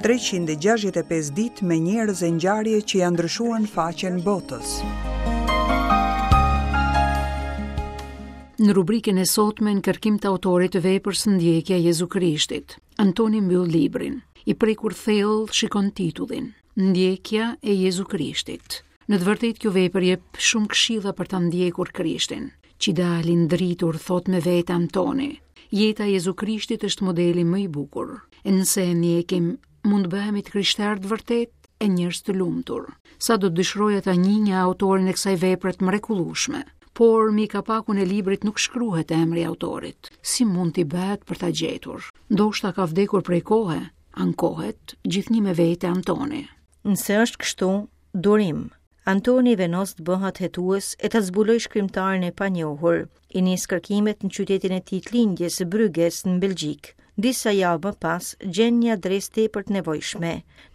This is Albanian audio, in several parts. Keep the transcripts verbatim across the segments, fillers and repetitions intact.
treqind e gjashtëdhjetë e pesë ditë me njerëz e ngjarje që janë ndryshuar në faqen botës. Në rubrikën e sotme në kërkim të autorit të veprës Ndjekja e Jezu Krishtit, Antoni mbyll librin. I prekur thellë shikon titullin, Ndjekja e Jezu Krishtit. Në të vërtetë kjo vepër jep shumë këshilla për ta ndjekur Krishtin. Qidali ndritur, thot me vete Antoni. Jeta e Jezu Krishtit është modeli më i bukur. E nëse e ndjekim, mund të bëhemi të krishterë të vërtetë e njerëz të lumtur. Sa do të dëshiroja ta njihja autorin e kësaj vepre të mrekullueshme. Por mbi kapakun e librit nuk shkruhet emri i autorit. Si mund t'i bëhet për ta gjetur? Ndoshta ka vdekur prej kohe, ankohet gjithnjë me vete Antoni. Nëse është kështu, durim. Antoni vendos të bëhet hetues e ta zbuloj shkrimtarin e panjohur. I nis kërkimet në qytetin e tij të lindjes, Brygges, në Belgjik. Disa javë më pas, gjen një adresë tepër të nevojshme.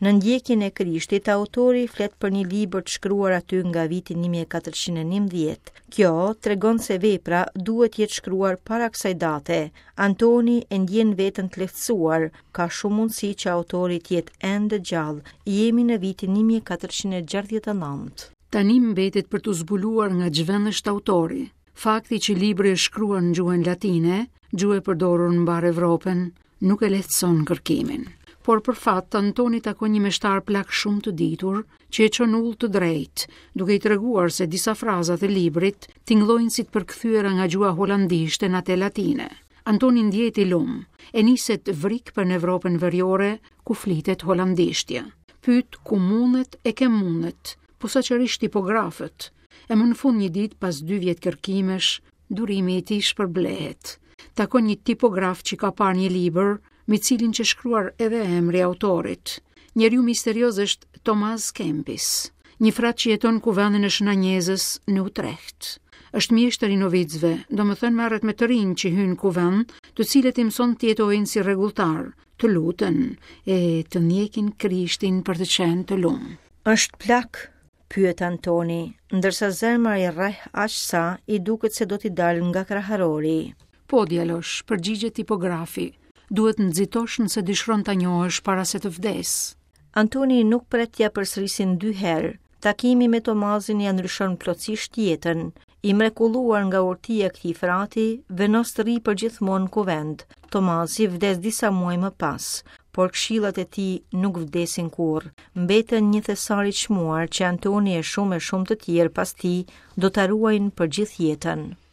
Në ndjekjen e Krishtit, autori flet për një libër të shkruar aty nga viti një mijë e katërqind e njëmbëdhjetë. Kjo tregon se vepra duhet jetë shkruar para kësaj date. Antoni e ndjen veten të lehtësuar, ka shumë mundësi që autori të jetë ende gjallë. Jemi në vitin një mijë e katërqind e gjashtëdhjetë e nëntë. Tani mbetet për t'u zbuluar nga ç'vend është autori. Fakti që libri është shkruar në gjuhën latine, gjuhë e përdorur në mbar Evropën, nuk e lehtëson kërkimin. Por për fat, Antoni takon një meshtar plak shumë të ditur, që e çon ullë të drejtë, duke i treguar se disa fraza të librit tingëllojnë si të përkthyera nga gjuha holandishte në atë latine. Antoni ndjehet i lum, e niset vrik për në Evropën veriore, ku flitet holandishtja. Pyet ku mundet e ke mundet, posaçërisht tipografët. E më në fund një ditë pas dy vjet kërkimesh, durimi i tij shpërblehet. Takon një tipograf që ka parë një libër, me cilin që shkruar edhe emri autorit. Njeriu misterioz është Thomas Kempis, një frat që jeton në kuvendin e Shën Anjezës në Utrecht. Është mjeshtër i novicëve, domethënë merret me të rinj që hyjnë në kuvend, të cilët i mëson të jetojnë si rregulltar, të luten e të ndjekin Krishtin për të qenë të lum. Është plak, pyet Antoni, ndërsa zemra i rreh aq sa i duket se do t'i dalë nga kraharori. Po, djalosh, përgjigjet tipografi, duhet nxitosh nëse dëshiron ta njohësh para se të vdes. Antoni nuk pret t'ia përsërisin dy herë. Takimi me Tomazin ia ndryshon plotësisht jetën. I mrekulluar nga urtia e këtij frati, vendos të rri përgjithmonë në kuvend. Tomazi vdes disa muaj më pas, por këshillat e tij nuk vdesin kurrë. Mbeten një thesar i çmuar që Antoni e shumë e shumë të tjerë pas tij do ta ruajnë për gjithë jetën.